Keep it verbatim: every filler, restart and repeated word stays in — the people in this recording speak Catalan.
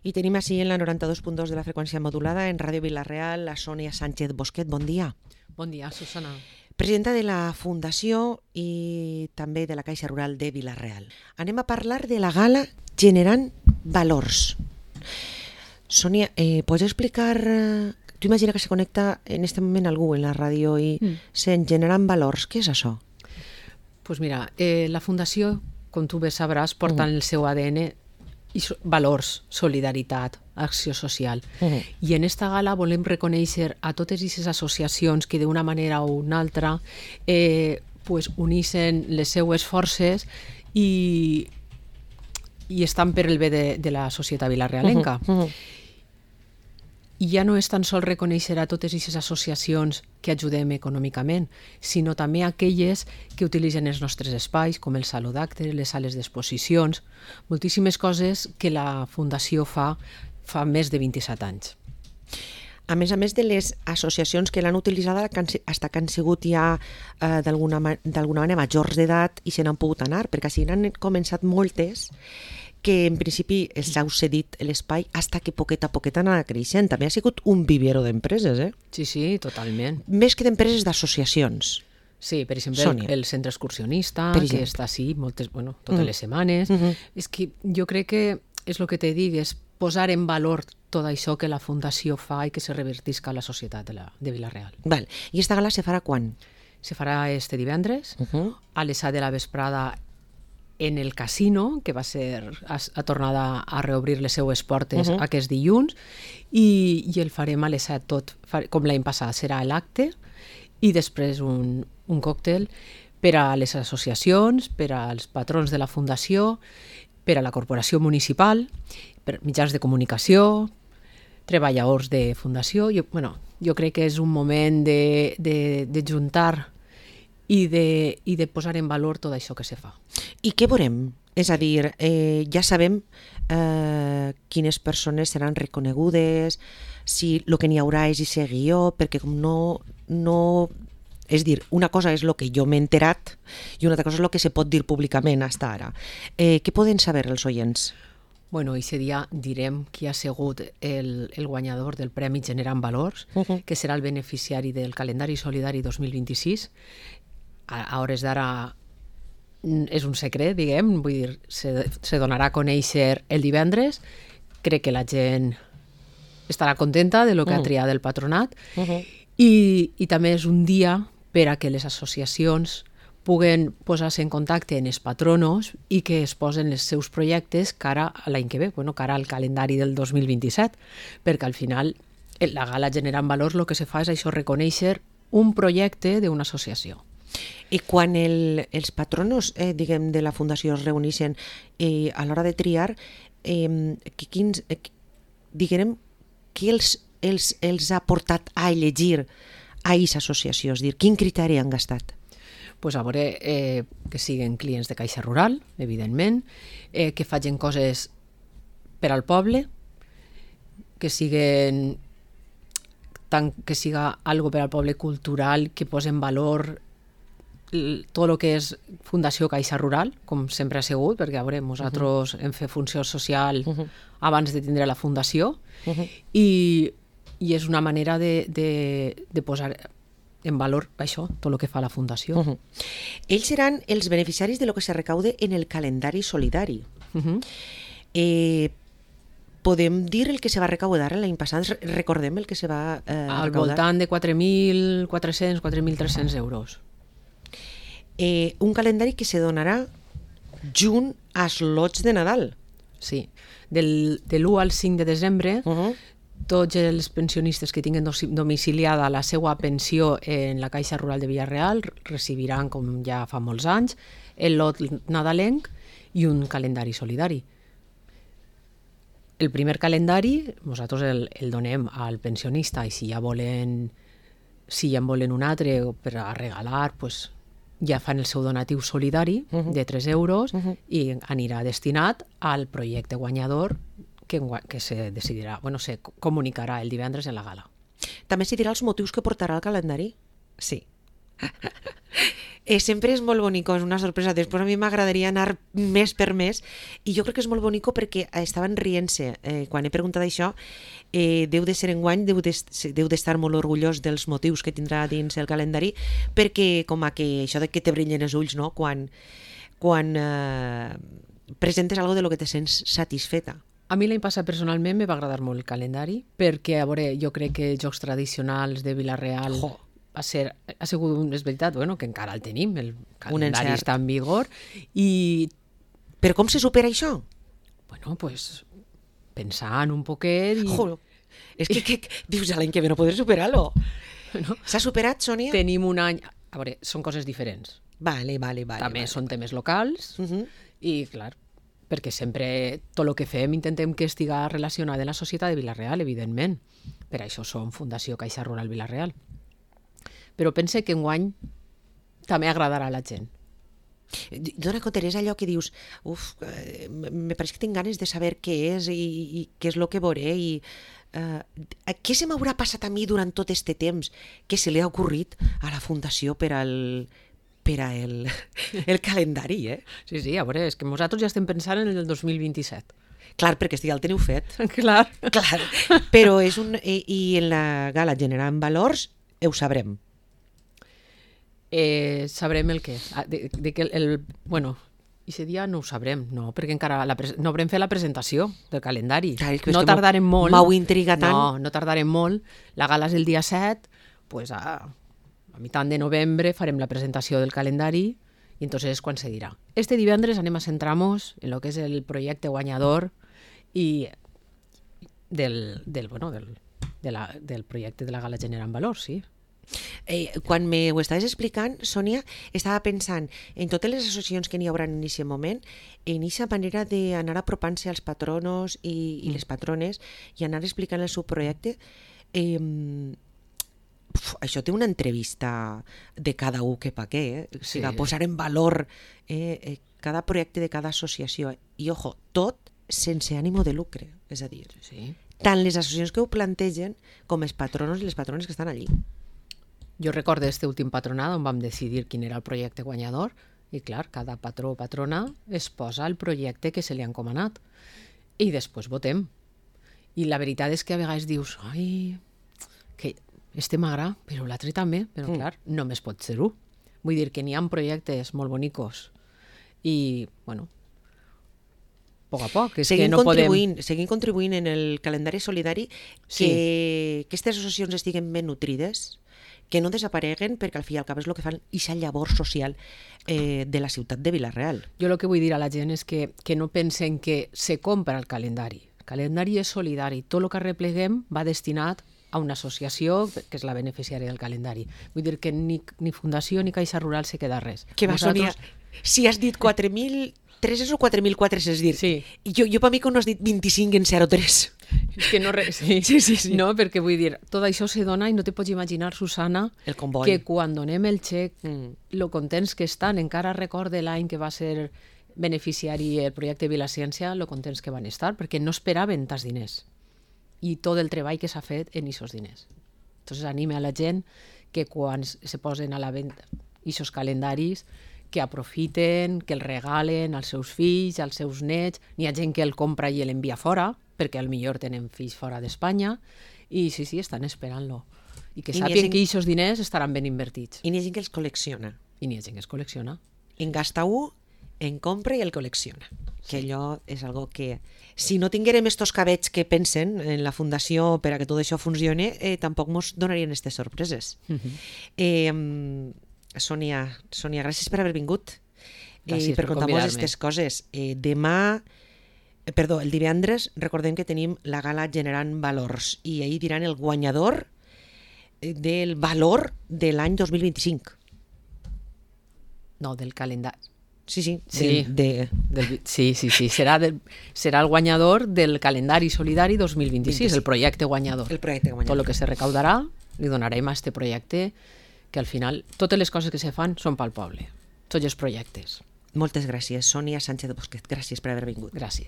I tenim així en la noranta-dos punt dos de la freqüència modulada en Ràdio Vila-real la Sònia Sánchez Bosquet. Bon dia. Bon dia, Susana. Presidenta de la Fundació i també de la Caixa Rural de Vila-real. Anem a parlar de la gala Generant Valors. Sònia, eh, pots explicar... Tu imagina que se connecta en este moment algú en la ràdio i mm. sent Generant Valors. Què és això? Pues mira, eh, la Fundació, com tu bé sabràs, porta en mm. el seu A D N i so, valors, solidaritat, acció social. Uh-huh. I en esta gala volem reconèixer a totes aquestes associacions que d'una manera o una altra eh, pues, unixen les seues forces i, i estan per el bé de, de la societat vilarealenca. Uh-huh. Uh-huh. I ja no és tan sols reconèixer a totes aquestes associacions que ajudem econòmicament, sinó també aquelles que utilitzen els nostres espais, com el saló d'actes, les sales d'exposicions, moltíssimes coses que la Fundació fa fa més de vint-i-set anys. A més a més de les associacions que l'han utilitzada fins que han sigut ja eh, d'alguna manera majors d'edat i se n'han pogut anar, perquè així n'han començat moltes que en principi els heu cedit l'espai fins que poquet a poquet han anat creixent. També ha sigut un vivero d'empreses, eh? Sí, sí, totalment. Més que d'empreses, d'associacions. Sí, per exemple, el, el centre excursionista, que està així moltes, bueno, totes mm. les setmanes. Mm-hmm. És que jo crec que és el que te dic, és posar en valor tot això que la Fundació fa i que se revertisca a la societat de, la, de Vila-real. Val. I esta gala se farà quan? Se farà este divendres, uh-huh. a les set de la vesprada, en el casino, que va ser, ha, ha tornat a, a reobrir les seues portes uh-huh. aquest dilluns, i, i el farem a les set tot, com l'any passat, serà l'acte, i després un, un còctel per a les associacions, per als patrons de la Fundació, per a la corporació municipal, per mitjans de comunicació, treballadors de Fundació. Jo, bueno, jo crec que és un moment de, de, de juntar i de, i de posar en valor tot això que se fa. I què veurem? És a dir, eh, ja sabem eh, quines persones seran reconegudes, si el que n'hi haurà és i guió, perquè com no, no... És dir, una cosa és el que jo m'he enterat i una altra cosa és el que se pot dir públicament fins ara. Eh, què poden saber els oients? Bueno, aquest dia direm qui ha sigut el, el guanyador del Premi Generant Valors, uh-huh. que serà el beneficiari del calendari solidari dos mil vint-i-sis. A, a hores d'ara és un secret, diguem, vull dir, se, se donarà a conèixer el divendres. Crec que la gent estarà contenta de lo que uh-huh. ha triat el patronat uh-huh. i, i també és un dia per a que les associacions puguen posar-se en contacte amb els patronos i que es posen els seus projectes cara a l'any que ve, bueno, cara al calendari del dos mil vint-i-set, perquè al final la gala Generant Valors el que se fa és això, reconèixer un projecte d'una associació. I quan el, els patronos eh, diguem, de la Fundació es reuneixen eh, a l'hora de triar, eh, que, quins, eh, diguem, què els, els, els ha portat a elegir a aquesta associació? És dir, quin criteri han gastat? Pues a veure, eh, que siguin clients de Caixa Rural, evidentment, eh, que facin coses per al poble, que siguin tant que siga algo per al poble cultural, que posen valor tot el que és Fundació Caixa Rural, com sempre ha sigut, perquè a veure, nosaltres uh-huh. hem fet funció social uh-huh. abans de tindre la Fundació, uh-huh. i, i és una manera de, de, de posar en valor això, tot el que fa la Fundació. Uh-huh. Ells seran els beneficiaris de lo que se recaude en el calendari solidari. Uh-huh. Eh, podem dir el que se va recaudar l'any passat? Recordem el que se va eh, al recaudar? Voltant de quatre mil quatre-cents a quatre mil tres-cents euros. Eh, un calendari que se donarà junt als lots de Nadal. Sí, del, de l'u al cinc de desembre uh-huh. tots els pensionistes que tinguin domiciliada la seva pensió en la Caixa Rural de Vila-real recibiran, com ja fa molts anys, el lot nadalenc i un calendari solidari. El primer calendari nosaltres el, el donem al pensionista i si ja volen, si ja en volen un altre per a regalar, pues, ja fan el seu donatiu solidari uh-huh. de tres euros uh-huh. i anirà destinat al projecte guanyador que, que se decidirà, bueno, se comunicarà el divendres en la gala. També se dirà els motius que portarà el calendari? Sí. Eh, sempre és molt bonico, és una sorpresa. Després a mi m'agradaria anar més per més i jo crec que és molt bonico perquè estaven rient-se. Eh, quan he preguntat això, eh, deu de ser enguany, deu d'estar de, molt orgullós dels motius que tindrà dins el calendari, perquè com a que això de que te brillen els ulls, no? Quan, quan eh, presentes algo de lo que te sents satisfeta. A mi l'any passat personalment me va agradar molt el calendari perquè, a veure, jo crec que Jocs Tradicionals de Vila-real oh. va ser, ha sigut, un, és veritat, bueno, que encara el tenim, el calendari està en vigor. I... Però com se supera això? Bueno, pues, pensant un poquet... I... Oh, és que, que, que dius, l'any que ve no podré superar-lo. No? S'ha superat, Sònia? Tenim un any... A veure, són coses diferents. Vale, vale, vale. També vale, són vale. temes locals uh -huh. i, clar, perquè sempre tot el que fem intentem que estiga relacionat amb la societat de Vila-real, evidentment. Per això som Fundació Caixa Rural Vila-real. Però pense que enguany també agradarà a la gent. Dona compte, és allò que dius, uf, eh, me pareix que tinc ganes de saber què és i, i què és el que veuré i eh, què se m'haurà passat a mi durant tot este temps que se li ha ocorrit a la Fundació per al... per a el, el calendari, eh? Sí, sí, a veure, és que nosaltres ja estem pensant en el dos mil vint-i-set. Clar, perquè ja el teniu fet. Clar. Clar. Però és un... I, i en la gala generant valors ho sabrem. Eh, sabrem el què? De, de que el, el... Bueno, aquest dia no ho sabrem, no, perquè encara la pres... no haurem fet la presentació del calendari. Clar, és que no tardarem molt. M'hau intrigat tant. No, no tardarem molt. La gala és el dia set, pues a... a mitjà de novembre farem la presentació del calendari i entonces és quan se dirà. Este divendres anem a centrar-nos en el que és el projecte guanyador i del, del, bueno, del, de la, del projecte de la Gala Generant Valors, sí. Eh, quan me ho estaves explicant, Sònia, estava pensant en totes les associacions que n'hi haurà en aquest moment, en aquesta manera d'anar apropant-se als patronos i, i les patrones i anar explicant el seu projecte. Eh, Uf, això té una entrevista de cada un que pa què, eh? O sigui, sí. Posar en valor eh, eh, cada projecte de cada associació. I, ojo, tot sense ànimo de lucre. És a dir, sí. tant les associacions que ho plantegen com els patronos i les patrones que estan allí. Jo recordo este últim patronat on vam decidir quin era el projecte guanyador i, clar, cada patró o patrona es posa el projecte que se li ha encomanat i després votem. I la veritat és que a vegades dius, ai, que... este m'agrada, però l'altre també, però mm. clar, només pot ser-ho. Vull dir que n'hi ha projectes molt bonicos i, bueno, a poc a poc, és seguim que no contribuint, podem... Seguim contribuint en el calendari solidari sí. que aquestes associacions estiguen ben nutrides, que no desapareguen, perquè al fi i al cap és el que fan aquesta llavor social eh, de la ciutat de Vila-real. Jo el que vull dir a la gent és que, que no pensen que se compra el calendari. El calendari és solidari. Tot el que arrepleguem va destinat a una associació que és la beneficiària del calendari. Vull dir que ni, ni Fundació ni Caixa Rural se queda res. Que va, Nosaltres... Sònia, si has dit quatre mil tres o quatre mil quatre cents, és dir, sí. jo, jo per mi que no has dit vint-i-cinc en zero tres. És que no... Re... Sí. Sí, sí, sí. No, perquè vull dir, tot això se dona i no te pots imaginar, Susana, el comboi. Que quan donem el xec, mm. lo contents que estan, encara recorde l'any que va ser beneficiari el projecte Vilaciència, lo contents que van estar, perquè no esperaven tants diners. I tot el treball que s'ha fet en aquests diners. Entonces anime a la gent que quan se posen a la venda aquests calendaris que aprofiten, que el regalen als seus fills, als seus nets. N'hi ha gent que el compra i l'envia fora, perquè al millor tenen fills fora d'Espanya, i sí, sí, estan esperant-lo. I que sàpiguen gent... que aquests diners estaran ben invertits. I n'hi ha gent que els col·lecciona. I n'hi ha gent que els col·lecciona. En gasta un, en compra i el col·lecciona. Sí. Que allò és algo que... Si no tinguérem estos cabets que pensen en la Fundació per a que tot això funcione, eh, tampoc ens donarien aquestes sorpreses. Uh-huh. eh, Sònia, Sònia, gràcies per haver vingut gràcies i per, per contar-nos aquestes coses. Eh, demà, eh, perdó, el divendres, recordem que tenim la gala Generant Valors i ahir diran el guanyador del valor de l'any dos mil vint-i-cinc. No, del calendari. Sí, sí. Sí, del, de... del, sí, sí, sí. Serà, del, serà el guanyador del calendari solidari dos mil vint-i-sis, el projecte guanyador. El projecte guanyador. Tot el que se recaudarà li donarem a este projecte que al final totes les coses que se fan són pel poble. Tots els projectes. Moltes gràcies, Sònia Sánchez de Bosquet. Gràcies per haver vingut. Gràcies.